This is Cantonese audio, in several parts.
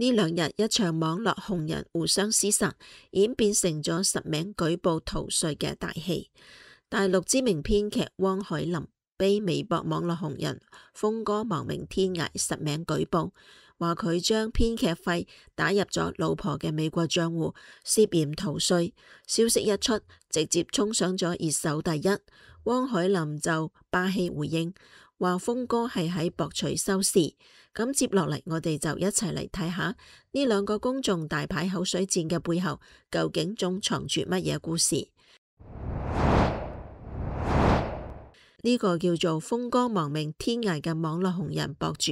呢兩日一場網絡紅人互相廝殺，演變成咗實名舉報逃稅嘅大戲。大陸知名編劇汪海林被微博網絡紅人峰哥亡命天涯實名舉報，話佢將編劇費打入咗老婆嘅美國賬戶，涉嫌逃稅。消息一出，直接衝上咗熱搜第一。汪海林就霸氣回應，話峰哥係喺博取收視。咁接落嚟，我哋就一齊嚟睇下呢兩個公眾大牌口水戰嘅背後，究竟仲藏住乜嘢故事？呢個叫做峰哥亡命天涯嘅網絡紅人博主，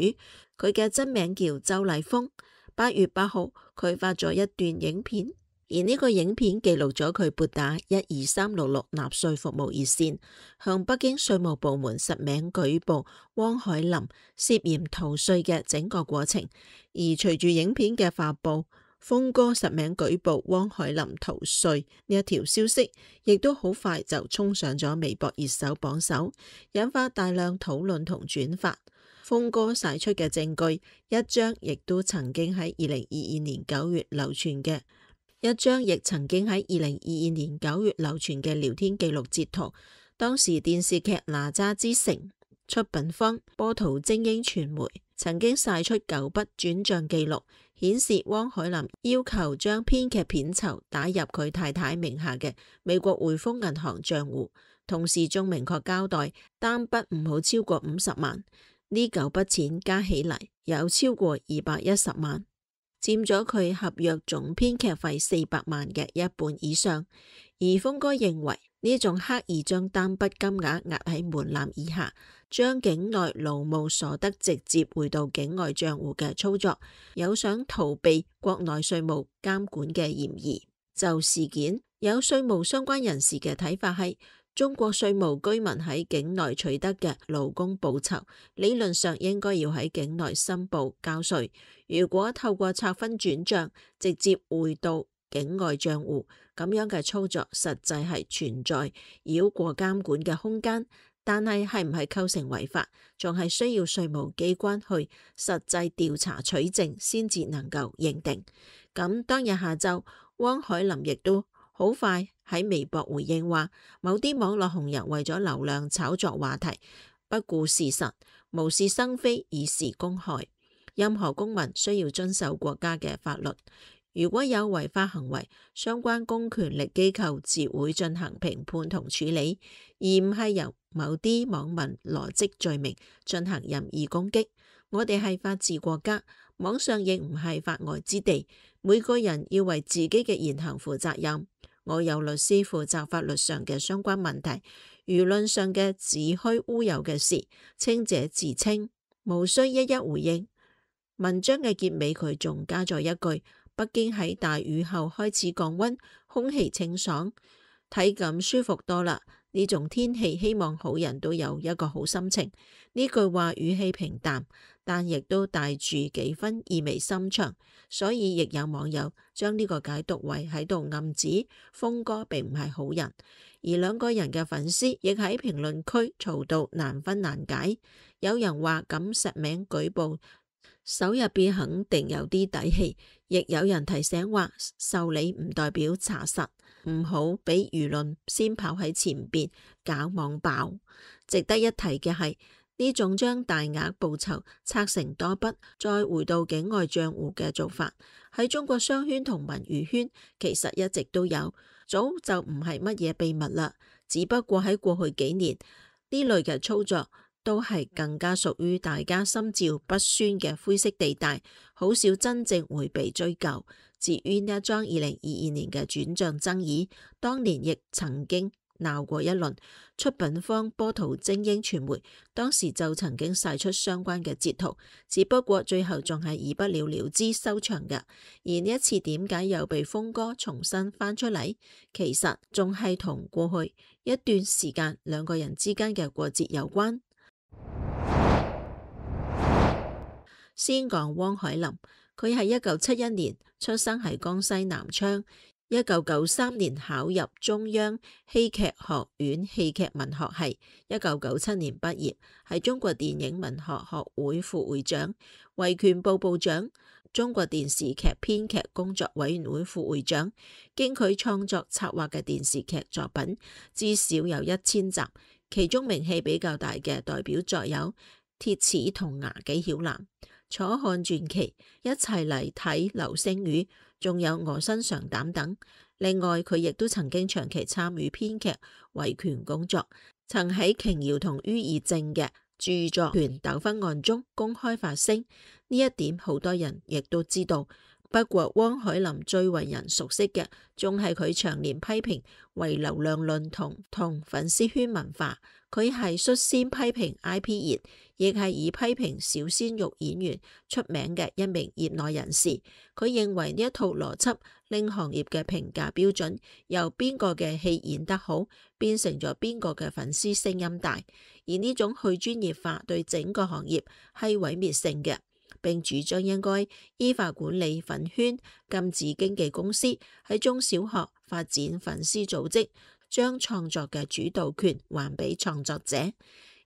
佢嘅真名叫周麗峰。8月8號，佢發咗一段影片，而呢個影片記錄咗佢撥打12366納稅服務熱線，向北京稅務部門實名舉報汪海林涉嫌逃稅嘅整個過程。而隨住影片嘅發佈，峰哥實名舉報汪海林逃稅呢一條消息，亦都好快就衝上咗微博熱搜榜首，引發大量討論同轉發。峰哥晒出嘅證據，一張亦都曾經喺2022年9月流傳嘅聊天記錄截圖。當時電視劇《哪吒之城》出品方波圖精英傳媒曾經晒出9筆轉賬記錄，顯示汪海林要求將編劇片酬打入佢太太名下嘅美國匯豐銀行賬戶，同時仲明確交代單筆唔好超過50萬。呢9筆錢加起嚟有超過210萬，佔咗佢合約總編劇費400萬嘅一半以上。而峰哥認為呢種刻意將單筆金額壓喺門檻以下，將境內勞務所得直接匯到境外賬戶嘅操作，有想逃避國內稅務監管嘅嫌疑。就事件，有稅務相關人士嘅睇法係，中國稅務居民喺境內取得嘅勞工報酬，理論上應該要喺境內申報交稅。如果透過拆分轉賬直接匯到境外賬戶，咁樣嘅操作實際係存在繞過監管嘅空間，但係唔係構成違法，仲係需要稅務機關去實際調查取證先至能夠認定。咁當日下晝，汪海林亦都好快喺微博回應話，某啲網絡紅人為咗流量炒作話題，不顧事實，無事生非，以示公害。任何公民需要遵守國家嘅法律，如果有違法行為，相關公權力機構自會進行評判同處理，而唔係由某啲網民羅織罪名進行任意攻擊。我哋係法治國家，網上亦唔係法外之地，每個人要為自己嘅言行負責任。我有律師負責法律上嘅相關問題，輿論上嘅子虛烏有嘅事，清者自清，無需一一回應。文章嘅結尾佢仲加咗一句，北京喺大雨後開始降溫，空氣清爽，體感舒服多啦。呢種天氣希望好人都有一個好心情。呢句話語氣平淡，但亦都帶住幾分意味深長，所以亦有網友將呢個解讀為喺度暗指峰哥並唔係好人。而兩個人嘅粉絲亦喺評論區嘈到難分難解，有人話咁實名舉報手入邊肯定有啲底氣，亦有人提醒話受理唔代表查實，唔好俾輿論先跑喺前邊搞網爆。值得一提嘅係，呢種將大額報酬拆成多筆再回到境外賬戶嘅做法，喺中國商圈同文娛圈其實一直都有，早就唔係乜嘢秘密啦。只不過喺過去幾年呢類嘅操作都係更加屬於大家心照不宣嘅灰色地帶，好少真正會被追究。至於呢一樁2022年嘅轉賬爭議，當年亦曾經鬧過一輪，出品方波圖精英傳媒當時就曾經晒出相關嘅截圖，只不過最後仲係以不了了之收場嘅。而呢一次點解又被峰哥重新翻出嚟？其實仲係同過去一段時間兩個人之間嘅過節有關。先講汪海林，佢係1971年出生喺江西南昌，1993年考入中央戲劇學院戲劇文學系，1997年畢業，係中國電影文學學會副會長、維權部部長。中國電視劇編劇工作委員會副會長，經佢創作策劃嘅電視劇作品至少有1000集，其中名氣比較大嘅代表作有《鐵齒銅牙紀曉嵐》、《楚漢傳奇》、一齊嚟睇流星雨，仲有我身上膽等。另外，佢亦都曾經長期參與編劇維權工作，曾喺瓊瑤同于義正嘅著作權糾紛案中公開發聲，呢一點好多人亦都知道。不過汪海林最為人熟悉嘅，仲係佢長年批評唯流量論同粉絲圈文化。佢係率先批評 IP 熱，亦係以批評小鮮肉演員出名嘅一名業內人士。佢認為呢一套邏輯令行業嘅評價標準由邊個嘅戲演得好，變成咗邊個嘅粉絲聲音大，而呢種去專業化對整個行業係毀滅性嘅。並主張應該依法管理粉圈，禁止經紀公司喺中小學發展粉絲組織，將創作嘅主導權還俾創作者。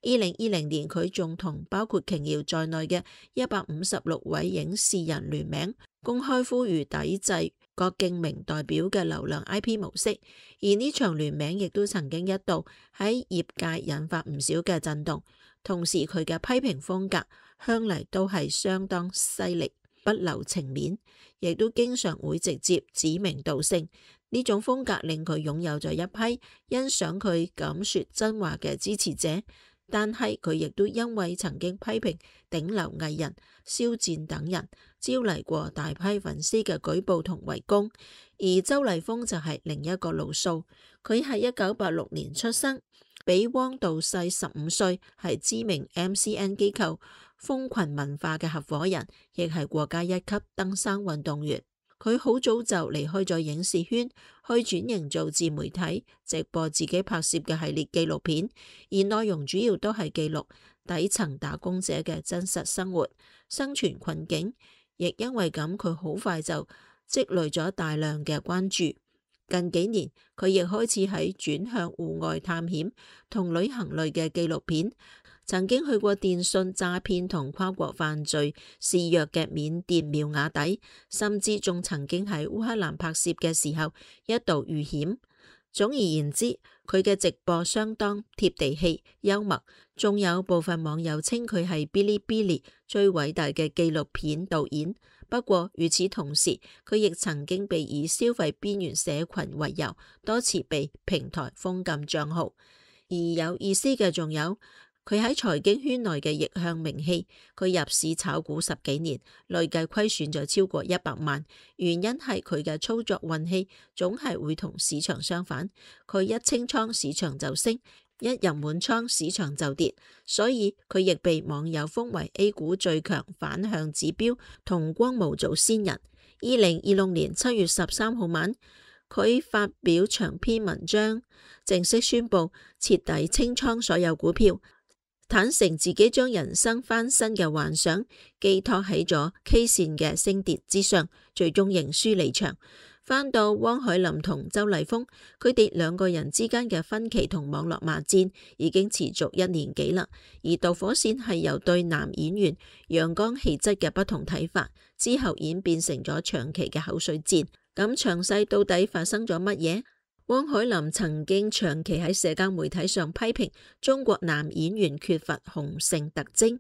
2020年，佢仲同包括瓊瑤在內嘅156位影視人聯名，公開呼籲抵制郭敬明代表嘅流量 IP 模式。而呢場聯名亦都曾經一度喺業界引發唔少嘅震動。同時，佢嘅批評風格向嚟都係相當犀利，不留情面，亦都經常會直接指名道姓。呢種風格令佢擁有咗一批欣賞佢敢說真話嘅支持者，但係佢亦都因為曾經批評頂流藝人肖戰等人，招嚟過大批粉絲嘅舉報同圍攻。而周麗峰就係另一個路數，佢係1986年出生，比汪導細15歲，係知名 MCN 機構蜂群文化嘅合夥人，亦係國家1級登山運動員。佢好早就離開咗影視圈，去轉型做自媒體，直播自己拍攝嘅系列紀錄片，而內容主要都係記錄底層打工者嘅真實生活、生存困境。亦因為咁，佢好快就積累咗大量嘅關注。近幾年，佢亦開始喺轉向戶外探險同旅行類嘅紀錄片。曾經去過電信詐騙同跨國犯罪肆虐嘅緬甸妙瓦底，甚至仲曾經喺烏克蘭拍攝嘅時候一度遇險。總而言之，佢嘅直播相當貼地氣、幽默，仲有部分網友稱佢係嗶哩嗶哩最偉大嘅紀錄片導演。不過與此同時，佢亦曾經被以消費邊緣社群為由，多次被平台封禁賬號。而有意思嘅仲有，佢喺財經圈內嘅逆向名氣，佢入市炒股10幾年，累計虧損咗超過100萬。原因係佢嘅操作運氣總係會同市場相反，佢一清倉市場就升，一入滿倉市場就跌，所以佢亦被網友封為 A 股最強反向指標同光模祖先人。2026年7月13號晚，佢發表長篇文章，正式宣布徹底清倉所有股票，坦承自己將人生翻身嘅幻想寄託喺咗 K 線嘅升跌之上，最終認輸離場。翻到汪海林同周麗峰，佢哋兩個人之間嘅分歧同網絡罵戰已經持續1年幾啦。而導火線係由對男演員陽剛氣質嘅不同睇法，之後演變成咗長期嘅口水戰。咁詳細到底發生咗乜嘢？汪海林曾經長期喺社交媒體上批評中國男演員缺乏雄性特徵，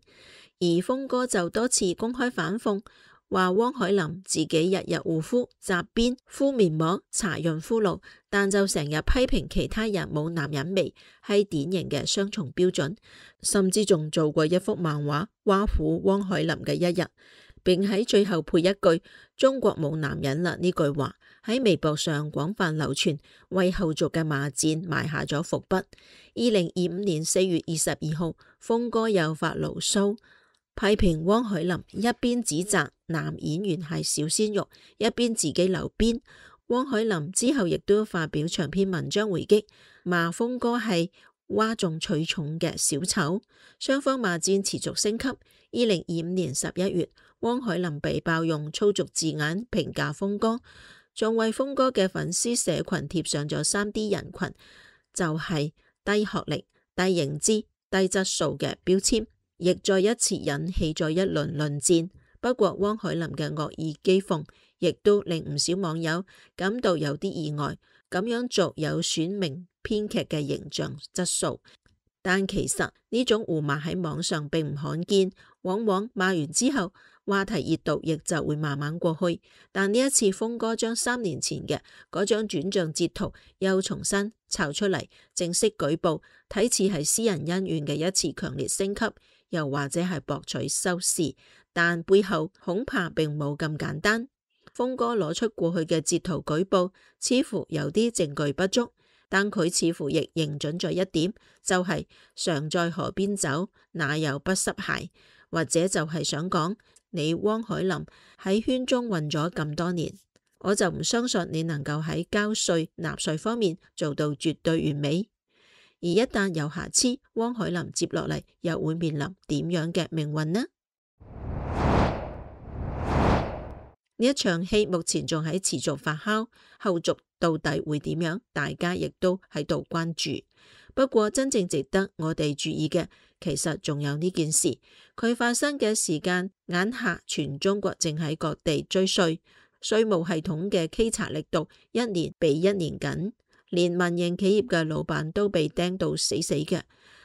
而峰哥就多次公開反諷，話汪海林自己日日護膚、紮辮、敷面膜、搽潤膚露，但就成日批評其他人冇男人味，係典型嘅雙重標準。甚至仲做過一幅漫畫挖苦汪海林嘅一日，並喺最後配一句中國冇男人啦呢句話喺微博上廣泛流傳，為後續嘅罵戰埋下咗伏筆。2025年4月22號，峰哥又發牢騷，批評汪海林一邊指責男演員係小鮮肉，一邊自己留辮。汪海林之後亦都發表長篇文章回擊，罵峰哥係嘩眾取寵嘅小丑。雙方罵戰持續升級。2025年11月，汪海林被爆用粗俗字眼評價峰哥，仲為峰哥嘅粉絲社群貼上咗3D 人群，就係低學歷、低認知、低質素嘅標籤，亦再一次引起咗一輪論戰。不過汪海林嘅惡意譏諷亦都令唔少網友感到有啲意外，咁樣做有損名編劇嘅形象質素。但其實呢種互罵喺網上並唔罕見，往往罵完之後話題熱度亦就會慢慢過去。但呢一次鋒哥將3年前嘅嗰張轉賬截圖又重新抄出嚟，正式舉報，睇似係私人恩怨嘅一次強烈升級，又或者係博取收視，但背後恐怕並冇咁簡單。鋒哥攞出過去嘅截圖舉報，似乎有啲證據不足。但佢似乎亦認準咗一點，就係常在河邊走，哪有不濕鞋？或者就係想講，你汪海林喺圈中混咗咁多年，我就唔相信你能夠喺交稅納稅方面做到絕對完美。而一旦有瑕疵，汪海林接落嚟又會面臨點樣嘅命運呢？呢一場戲目前仲喺持續發酵，後續到底會點樣？大家亦都喺度關注。不過真正值得我哋注意嘅，其實仲有呢件事，佢發生嘅時間眼下全中國正喺各地追稅，稅務系統嘅稽查力度一年比一年緊，連民營企業嘅老闆都被盯到死死嘅，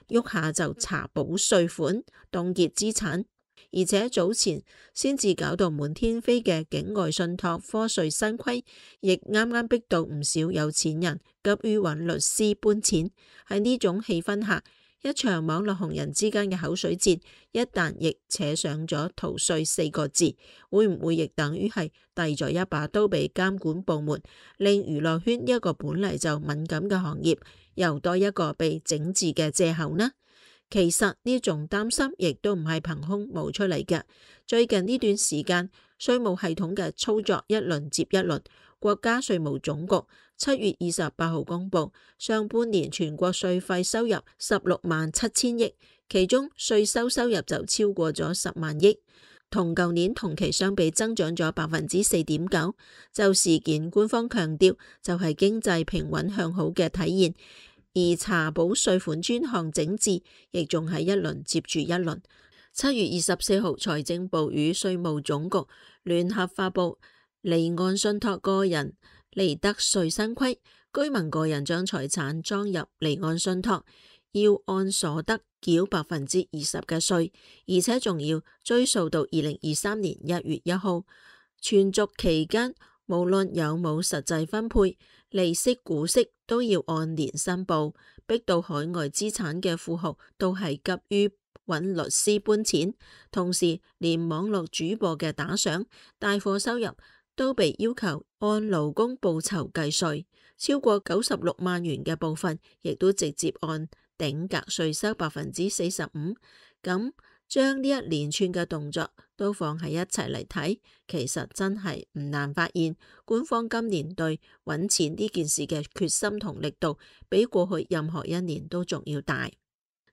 喐下就查補稅款、凍結資產。而且早前先至搞到滿天飛嘅境外信託課稅新規，亦啱啱逼到唔少有錢人急於揾律師搬錢。喺呢種氣氛下，一場網絡紅人之間嘅口水戰，一旦亦扯上咗逃稅4個字，會唔會亦等於係遞咗一把刀俾監管部門，令娛樂圈一個本嚟就敏感嘅行業又多一個被整治嘅藉口呢？其實呢種擔心亦都唔係憑空冒出嚟嘅。最近呢段時間，稅務系統嘅操作一輪接一輪。國家稅務總局7月28號公布，上半年全國稅費收入16萬7千億，其中稅收收入就超過咗10萬億，同舊年同期相比增長咗4.9%。就事件，官方強調就係經濟平穩向好嘅體現。而查補稅款專項整治亦仲係一輪接住一輪。7月24號，財政部與稅務總局聯合發布離岸信託個人利得稅新規，居民個人將財產裝入離岸信託，要按所得繳20%嘅稅，而且仲要追溯到2023年1月1號，存續期間無論有冇實際分配，利息股息都要按年申報，逼到海外資產嘅富豪都係急於揾律師搬錢，同時連網絡主播嘅打賞、帶貨收入都被要求按勞工報酬計稅，超過96萬元嘅部分亦都直接按頂格稅收45%。咁將呢一連串嘅動作都放喺一齊嚟睇，其實真係唔難發現，官方今年對揾錢呢件事嘅決心同力度，比過去任何一年都仲要大。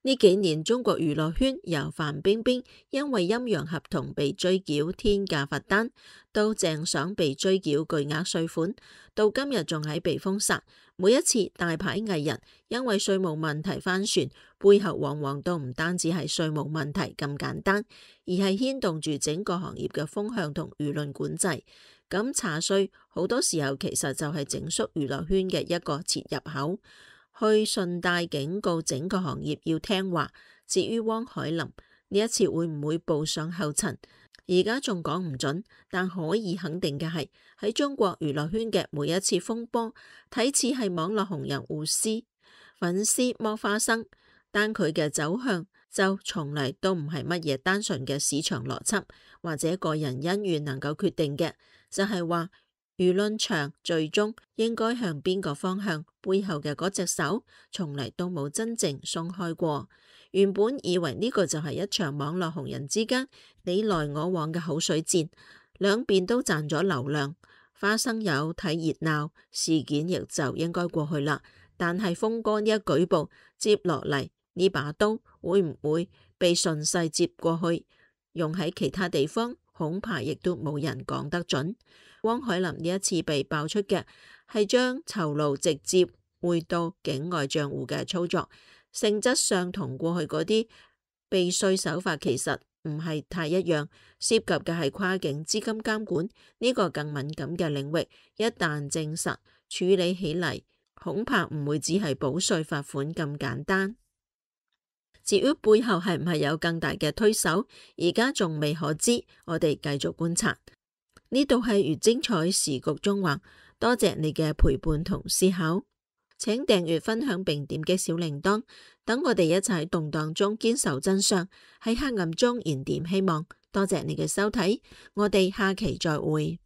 呢幾年中國娛樂圈由范冰冰因為陰陽合同被追繳天價罰單，到鄭爽被追繳巨額稅款，到今日仲喺被封殺。每一次大牌藝人因為稅務問題翻船，背後往往都唔單止係稅務問題咁簡單，而係牽動住整個行業嘅風向同輿論管制。咁查稅好多時候其實就係整肅娛樂圈嘅一個切入口，去順帶警告整個行業要聽話。至於汪海林呢一次會唔會步上後塵，而家仲講唔準，但可以肯定嘅係喺中國娛樂圈嘅每一次風波，睇似係網絡紅人互撕、粉絲剝花生，但佢嘅走向就從嚟都唔係乜嘢單純嘅市場邏輯或者個人恩怨能夠決定嘅，就係話輿論場最終應該向邊個方向，背後嘅嗰隻手從嚟都冇真正鬆開過。原本以為呢個就係一場網絡紅人之間你來我往嘅口水戰，兩邊都賺咗流量，花生友睇熱鬧，事件亦就應該過去啦。但係鋒哥呢一舉報，接落嚟呢把刀會唔會被順勢接過去，用喺其他地方，恐怕亦都冇人講得準。汪海林呢一次被爆出嘅係將酬勞直接匯到境外賬戶嘅操作，性質上同過去嗰啲避稅手法其實唔係太一樣，涉及嘅係跨境資金監管呢個更敏感嘅領域。一旦證實，處理起嚟恐怕唔會只係補稅罰款咁簡單。至於背後係唔係有更大嘅推手，而家仲未可知，我哋繼續觀察。呢度係越精彩時局中話，多謝你嘅陪伴同思考。請訂閱、分享並點擊小鈴鐺，等我哋一齊喺動盪中堅守真相，喺黑暗中燃點希望。多謝你嘅收睇，我哋下期再會。